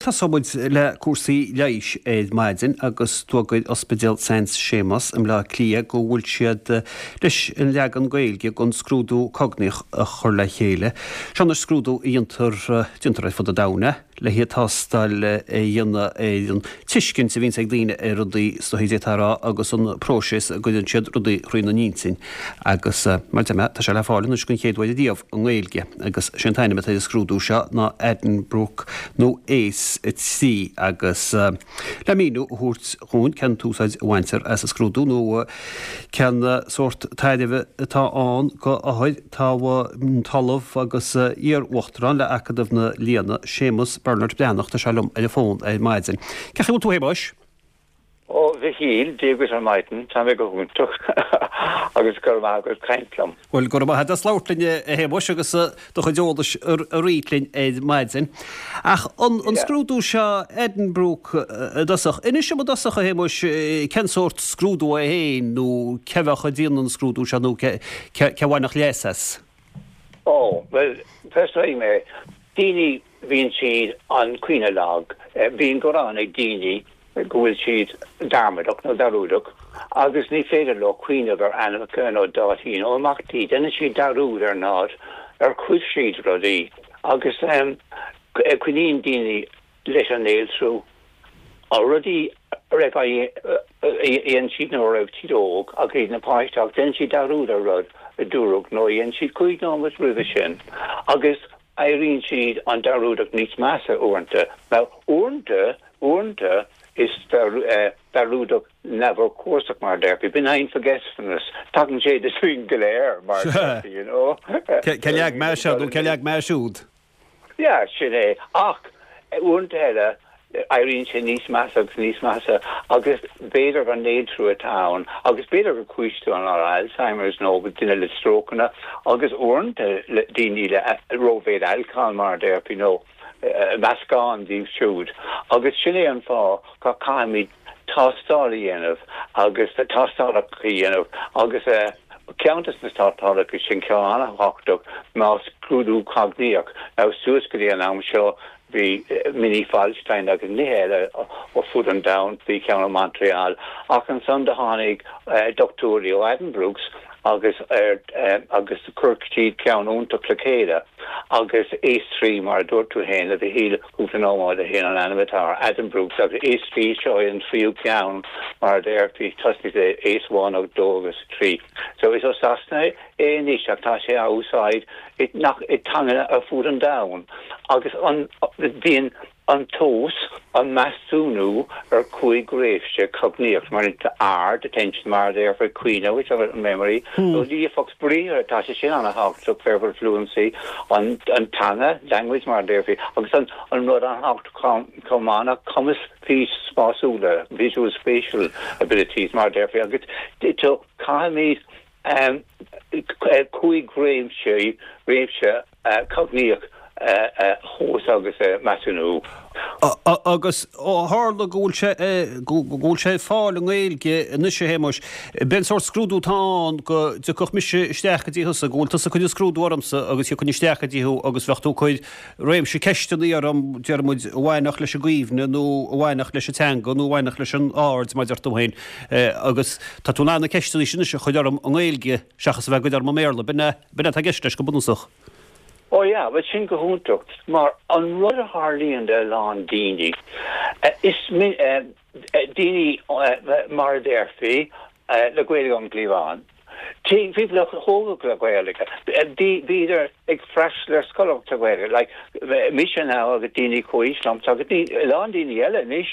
Tosóidh muid le cúrsaí leighis ar maidin agus d'fhógair Ospidéal San Séamas i mBleá Cliath go bhfuil siad leis an leagan Gaeilge den scrúdú cognaíoch a chur le chéile. Seo anois scrúdú a dhéantar, déantar ar fud an domhain é. le tástáil a dhéanamh ar an tuiscint a bhíonns ag daoine ar rudaí, is dóichí d'fhéadfá a rá, agus an próiseas a gcuireann siad rudaí thrína n-intinn. Agus, mar a deir mé, tá sé le fáil anois den chéad uair riamh i nGaeilge agus sé an t-ainm atá ar an scrúdú seo ná Addenbrooke nó ACE 3 agus le míniú a thabhairt dhúinn cén t-úsáid a bhaintear as an scrúdú nó cén sórt tairbhe atá ann go othair, Tá an tOllamh agus iar-Uachtarán le Acadamh na Lianna, Séamus Bernard Breathnach, tá sé liom ar an bhfón ar maidin. Cén chaoi a bhfuil tú a Shéamuis? Ó, a Mhichíl, Dia dhuit ar maidin, tá mé go hiontach agus go raibh maith agat caint liom. Bhuel, go raibh maith agat as labhairt linn a Shéamuis agus do chuid eolais a roinnt linn ar maidin. Ach an scrúdú seo Addenbrooke i dtosach, inis dom i dtosach a Shéamuis cén sórt scrúdú é féin nó cé bheadh ag déanamh an scrúdú seo nó cé a bhainfeadh leas as? Ó, bhuel, tosóidh mé, daoine, bíonn siad an cuimhne lag, bíonn gearán ag daoine go bhfuil siad dearmadach nó dearúdach agus ní féidir leo cuimhneamh ar ainmneacha nó dátaí nó imeachtaí, déanann siad dearúd ar nod ar chuir siad rudaí agus coinníonn daoine leis an néaltrú rudaí a raibh a dhein siad nuair a raibh siad óg agus iad ina páiste ach déanann siad dearúd ar rud a dúradh nó a dhein siad cúig nóiméad roimhe sin agus éiríonn siad an dearúdach níos measa uaireanta. Now uaireanta, uaireanta is dearúdach neamhurchóiseach mar a déarfaí, benign forgetfulness, tagann sé dúinn go léir mar a déarfaí, you know. Cé leag mé seo nó cé leag mé siúd? Yeah, sin é. Ach uaireanta eile, éiríonn sé níos measa agus níos measa agus b'fhéidir gur néaltrú atá ann agus b'fhéidir gur cúis do an Alzheimer's nó duine le strócanna agus uaireanta le daoine le rómhéid alcohol mar a déarfaí nó meascán díobh siúd. Agus sin é an fáth go caithfimid tástáil a dhéanamh agus tástálacha a dhéanamh agus ceann de na tástálacha sin, ceann an-thábhachtach, ná scrúdú cognaíoch. Now suas go dtí an am seo bhí Mini Folstein agus nithe eile ó fud an domhain, bhí ceann i Montreal ach ansan do tháinig dochtúirí ó Addenbrooke's agus ar agus chuir siad ceann iontach le chéile agus ACE 3 mar a dúirt tú féin a Mhichíl cúpla nóiméad ó shin an ainm atá air, Addenbrooke's agus ACE 3 seo é an tríú ceann mar a déarfaí tosnaigh le ACE 1 agus 2 agus 3. So is ó Sasana é anois ach tá sé á úsáid i nach i dteangacha ar fud an domhain agus an bhíonn an tomhas, an measúnú ar chúig réimse cognaíocht, mar aird, attention, mar a déarfaí, cuimhne, which of memory, nó líofacht briathartha, tá sé sin an-thábhachtach, verbal fluency, an teanga, language, mar a déarfaí, agus an rud an-thábhachtach chomh maith ná cumas fís spásúla, visual spatial abilities, mar a déarfaí, agus caithfimid 5 réimse, réimse cognaíoch a thomhas agus a measúnú. Agus ó tharla go bhfuil sé, go bhfuil sé ar fáil i nGaeilge anois a Shéamuis, b'é an sórt scrúdú atá ann go dtiocfadh mise isteach go dtí thusa, go bhfuil tusa ag cur an scrúdú ormsa agus thiocfainn isteach go dtí thú agus bheadh tú ag cur réimse ceisteanna orm, déarfaidh muid, a bhainfeadh leis an gcuimhne nó a bhainfeadh leis an teanga nó a bhainfeadh leis an aird, mar a deir tú féin, agus tá tú in ann na ceisteanna sin anois a chur orm i nGaeilge seachas a bheith ag cur orm i mBéarla. B'in é, b'in é atá i gceist leis go bunúsach. Ó yeah, bhuel sin go hiontach, mar an rud a tharlaíonn do a lán daoine, is daoine mar a déarfaí, le Gaeilge ón gcliabhán, people a tógadh le Gaeilge, bhíodar ag freastal ar scoil sa Ghaeilge, like mise now agus daoine comhaois liomsa agus a lán daoine eile anois,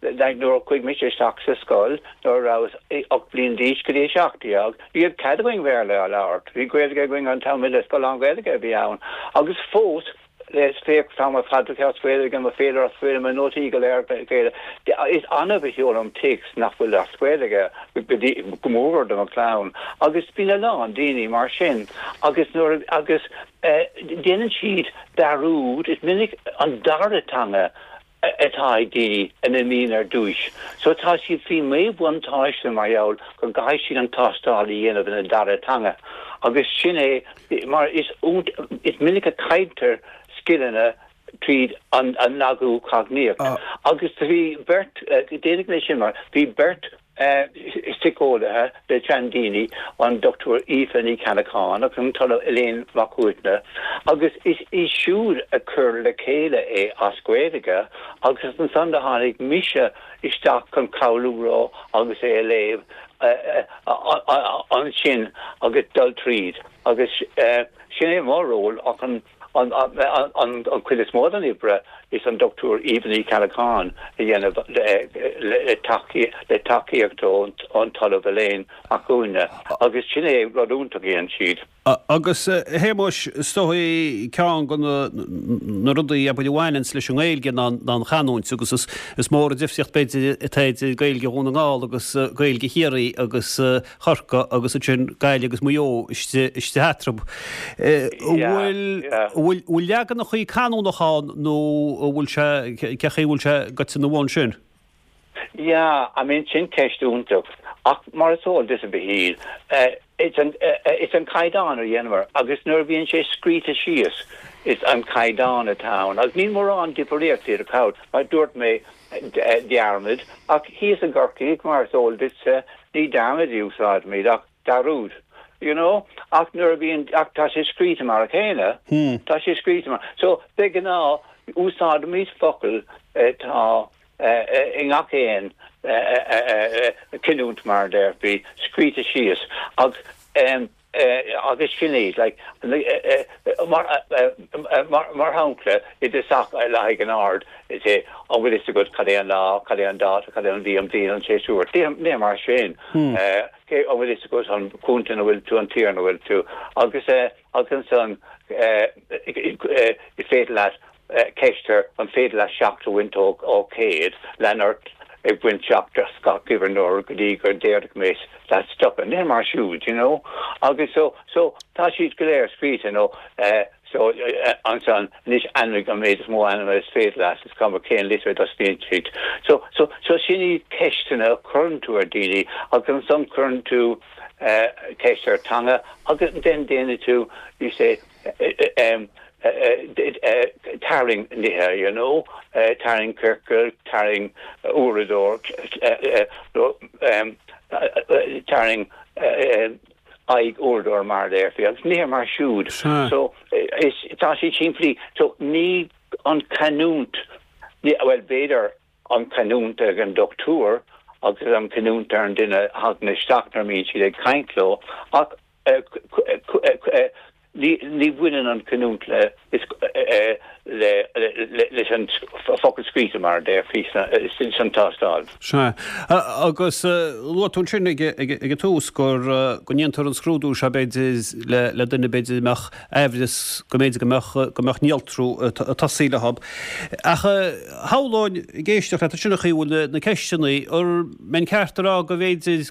like nuair a chuaigh mise isteach sa scoil nuair a rabhas 8 bliain d'aois go dtí 17, ní raibh cead againn Béarla a labhairt, bhí Gaeilge againn an t-am uile, scoil lán-Ghaeilge a bhí ann agus fós is féach tá mo chaidreamh as Gaeilge, mo féilire as Gaeilge, mo nótaí go léir Gaeilge. Is annamh a sheolaim téacs nach bhfuil as Gaeilge, go dtí, go mór do mo chlann. Agus bíonn a lán daoine mar sin agus nuair a, agus déanann siad dearúd, is minic an dara teanga atá ag daoine a n-imíonn ar dtúis. So tá siad faoi mhíbhuntáiste mar gheall go gcaithfidh siad an tástáil a dhéanamh ina dara teanga. Agus sin é mar is is minic a chailltear scileanna. tríd an lagú cognaíoch. Agus bhí beirt, déanfaidh mé sin mar, bhí beirt síceolaithe le seandaoine, an Dr Aoife Ní Cheallacháin agus an tOllamh Elaine Mac Uaithne, agus is í siúd a chuir le chéile é as Gaeilge agus ansan do tháinig mise isteach chun cabhrú leo agus é a léamh ansin agus dul tríd agus sin é mo ról ach an An chuid is mó den oibre is an Dr Aoife Ní Cheallacháin a dhéanamh le tacaíocht ón tOllamh Elaine Mac Uaithne agus sin é rud iontach a dhéanann siad. Agus a Shéamuis, is dóigh ceann de na rudaí abair a bhaineanns leis an nGaeilge ná an chanúint agus is mór an difríocht b'fhéidir atá idir Gaeilge Dhún na nGall agus Gaeilge Chiarraí agus Chorcaí agus ansin Gaillimh agus Maigh Eo istigh eatarthu. An bhfuil leaganachaí canúnacha ann nó an bhfuil sé, cé chaoi a bhfuil sé goite ina bhun sin? Yeah, I mean sin ceist iontach ach mar is eol duit a Mhichíl, it's an, it's an caighdeán a dhéanamar agus nuair a bhíonn sé scríte síos is an caighdeán atá ann agus níl mórán difríocht idir ceann, mar dúirt mé, dearmad, ach thíos i gCorcaigh, mar is eol duitse, ní dearmad a úsáidimid ach dearúd, you know, ach nuair a bhíonn, ach tá sé scríte mar a chéile, tá sé scríte mar, so, de ghnáth, úsáidimid focail atá i ngach aon chanúint, mar a déarfaí, scríte síos, ach. agus sin iad, like, mar, mar shampla, i dtosach le haghaidh an ard, is é, an bhfuil fhios agat cad é an lá, cad é an dáta, cad é an mhí, an bhliain, an séasúr, nithe mar sin, cé, an bhfuil fhios agat an contae ina bhfuil tú, an tír ina bhfuil tú, agus, agus ansan, is féidir leat Ceist an féidir leat 7 a bhaint ó 100, lean ort ag baint 7 as gach uimhir nuair go dtí go déarfaidh mé leat stopadh. Nithe mar siúd, you know. Agus so, so tá siad go léir scríte nó eh so ansan anois ainmnigh an méid is mó ainmhithe is féidir leat, is cuma cén litir a dtosnaíonn siad. So, so, so sin iad ceisteanna a chuireann tú ar daoine agus ansan cuireann tú eh ceist ar teanga agus then déanann tú, you say, tarraing nithe, you know, tarraing ciorcal, tarraing uaireadóir, tarraing aghaidh uaireadóir mar a déarfaí, agus nithe mar siúd. So, is, tá siad simplí. So, ní an canúint, bhuel, b'fhéidir an canúint ag an dochtúir agus an canúint ar an duine a thagann isteach nuair a mbíonn siad ag caint leo, ach Ní bhaineann an chanúint leis an focal scríte mar a déarfaí san tástáil. Sea. Agus luaigh tú ansin ag an tús go ndéantar an scrúdú seo b'fhéidir le duine b'fhéidir a mbeadh aimhreas go mb'fhéidir go mbeadh go mbeadh néaltrú ag tosaí leo. Ach shamhlóinn ag éisteacht leat ansin an chaoi a bhfuil na ceisteanna, an mbeinn ceart a rá go mb'fhéidir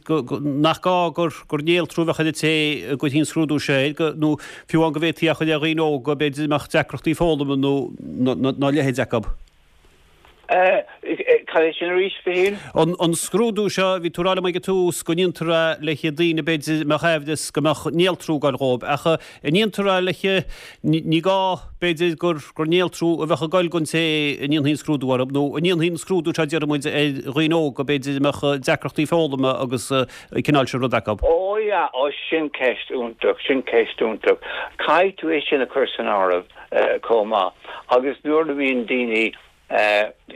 nach gá gur gur néaltrú a bheadh ar an té a gcuirfí an scrúdú seo air, nó fiú amháin go bhféadfaí é a chur ar dhaoine óga, b'fhéidir, a mbeadh deacrachtaí foghlama nó a leithéid acu. Cad é sin arís, a Mhichíl? An scrúdú seo, bhí tú ag rá liom ag an tús go ndéantar é le haghaidh daoine, b'fhéidir, a mbeadh aimhreas go mbeadh néaltrú ag goil dhóibh, ach an ndéantar é le haghaidh, ní gá, b'fhéidir, gur gur néaltrú a bheadh ag goil don té a ndéanfaí an scrúdú orthu, nó an ndéanfaí an scrúdú seo, déarfaidh muid, ar dhaoine óga, b'fhéidir, a mbeadh deacrachtaí foghlama agus an cineál sin rud acu. Ó yeah, ó sin ceist iontach, sin ceist iontach. Caithfidh tú é sin a chur san áireamh chomh maith. Agus nuair a bhíonn daoine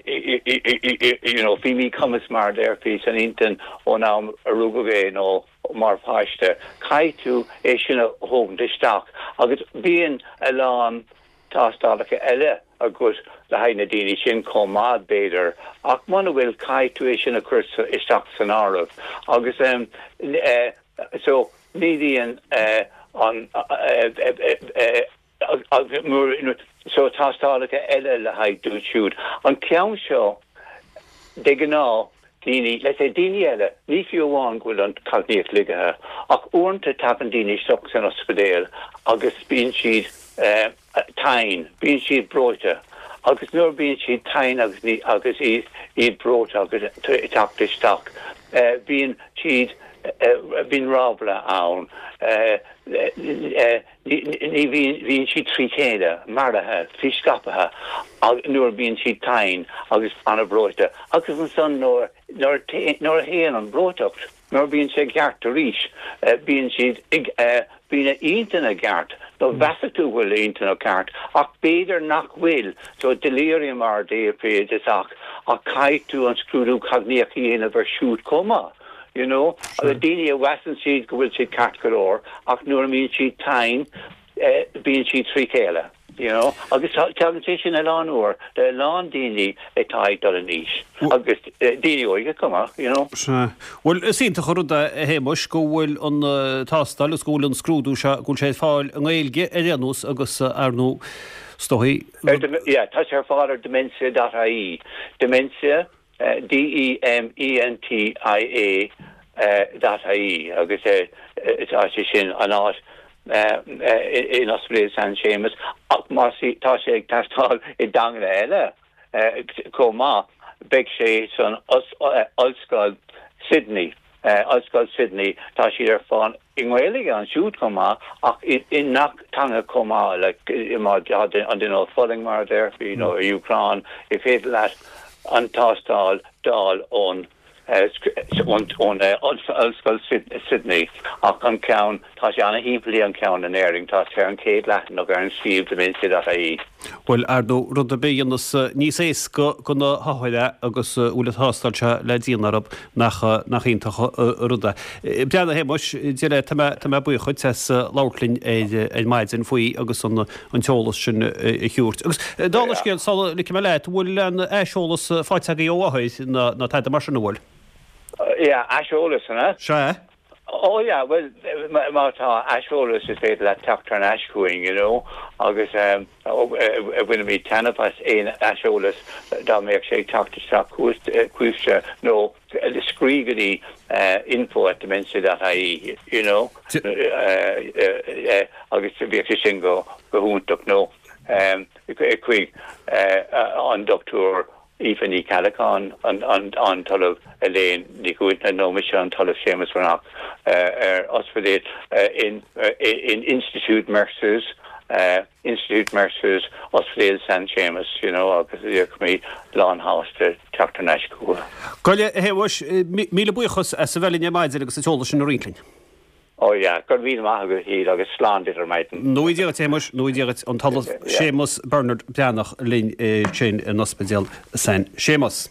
you know faoi mhíchumas mar a déarfaí san intinn ón am a rugadh é nó mar pháiste, caithfidh tú é sin a thógaint isteach. Agus bíonn a lán tástálacha eile agat le haghaidh na daoine sin chomh maith, b'fhéidir, ach muna bhfuil, caithfidh tú é sin a chur isteach san áireamh. Agus so, ní bhíonn an so tástálacha eile le haghaidh dúinn siúd. An ceann seo, de ghnáth, daoine, let's say daoine eile, ní fiú amháin go bhfuil an chognaíocht lagaithe, ach uaireanta tagann daoine isteach san ospidéal agus bíonn siad tinn, bíonn siad breoite agus nuair a bíonn siad tinn agus ní, agus iad breoite agus ag teacht isteach, bíonn siad. Bíonn ráfla ann. Ní bhíonn, bíonn siad trí chéile, mearaithe, scaipthe nuair a bhíonn siad tinn agus an-bhreoite. Agus ansan nuair, nuair a théann an bhreoiteacht, nuair a bhíonn sé i gceart arís, bíonn siad ag, bíonn a intinn i gceart, nó mheasfadh tú go bhfuil a intinn i gceart, ach b'fhéidir nach bhfuil, so delirium mar a déarfaí ach, ach caithfidh tú an scrúdú cognaíoch a dhéanamh air siúd chomh maith. You know, agus daoine a mheasann siad go bhfuil siad ceart go leor ach nuair a mbíonn siad tinn bíonn siad trí chéile, you know. Agus tagann sé sin a lán uair le a lán daoine atá ag dul in aois agus daoine óige chomh maith, you know. Sea. Bhuel, is iontach an rud é, a Shéamuis, go bhfuil an tástáil agus go bhfuil an scrúdú seo, go bhfuil sé ar fáil i nGaeilge ar aon nós agus ar ndóigh, is dóigh. Yeah, tá sé ar fáil ar dementia dot ie. Dementia. D-E-M-E-N-T-I-A dot ie agus tá sé sin an áit in Ospidéal San Séamas ach má tá sé ag teastáil i dteanga eile chomh maith beidh sé san Ollscoil Sydney. Ollscoil Sydney, tá siad ar fáil i nGaeilge ansiúd chomh maith ach i ngach teanga chomh maith, like má tá an duine ag fulaingt mar a déarfaí nó i Úcráin, is féidir leat an tástáil d'fháil ón ón Ollscoil Sydney ach an ceann, tá sé ana-shimplí an ceann in Éirinn, tá sé ar an chéad leathanach ar an suíomh dementia.ie. Bhuel, ar ndóigh, rud ar bith a dhéanas níos éasca do na hothair é agus a bhfuil an tástáil seo le déanamh orthu, nach, nach iontach an rud é. Breathnaigh, a Shéamuis, Dia leat, tá mé, tá mé buíoch dhuit as labhairt linn ar, ar maidin faoi agus an, an t-eolas sin a thabhairt. Agus dála an scéil, sula ligfidh mé leat, an bhfuil aon aiseolas faighte agaibh ó othair ná, ná tada mar sin, an bhfuil? Yeah, aiseolas, an ea? Sea. Oh yeah, bhuel, má tá aiseolas is féidir leat teacht thar n-ais chugainn, you know, agus bhainfimid taitneamh as aon aiseolas dá mbeadh sé ag teacht isteach chugaibhse nó scríobh go dtí info at dementia dot ie, you know, agus bheadh sé sin go hiontach nó chuig an Dr. Aoife Ní Cheallacháin, an tOllamh Elaine Ní Chuailgne nó mise, an tOllamh Séamus Breathnach, ar ospidéal in Institiúid Mercer's, Institiúid Mercer's, Ospidéal San Séamus, you know, agus bheadh lán-shásta teacht thar n-ais chucu. Go leith, a Shéamuis, míle buíochas as a bheith linn ar maidin agus an t-eolas sin a roinnt linn. Oh yeah, go raibh míle maith agat a Shíle agus slán duit ar maidin. Go ngnóthaí Dia duit a Shéamuis, go ngnóthaí Dia duit, an tOllamh Séamus Bernard Breathnach linn ansin in Ospidéal San Séamus.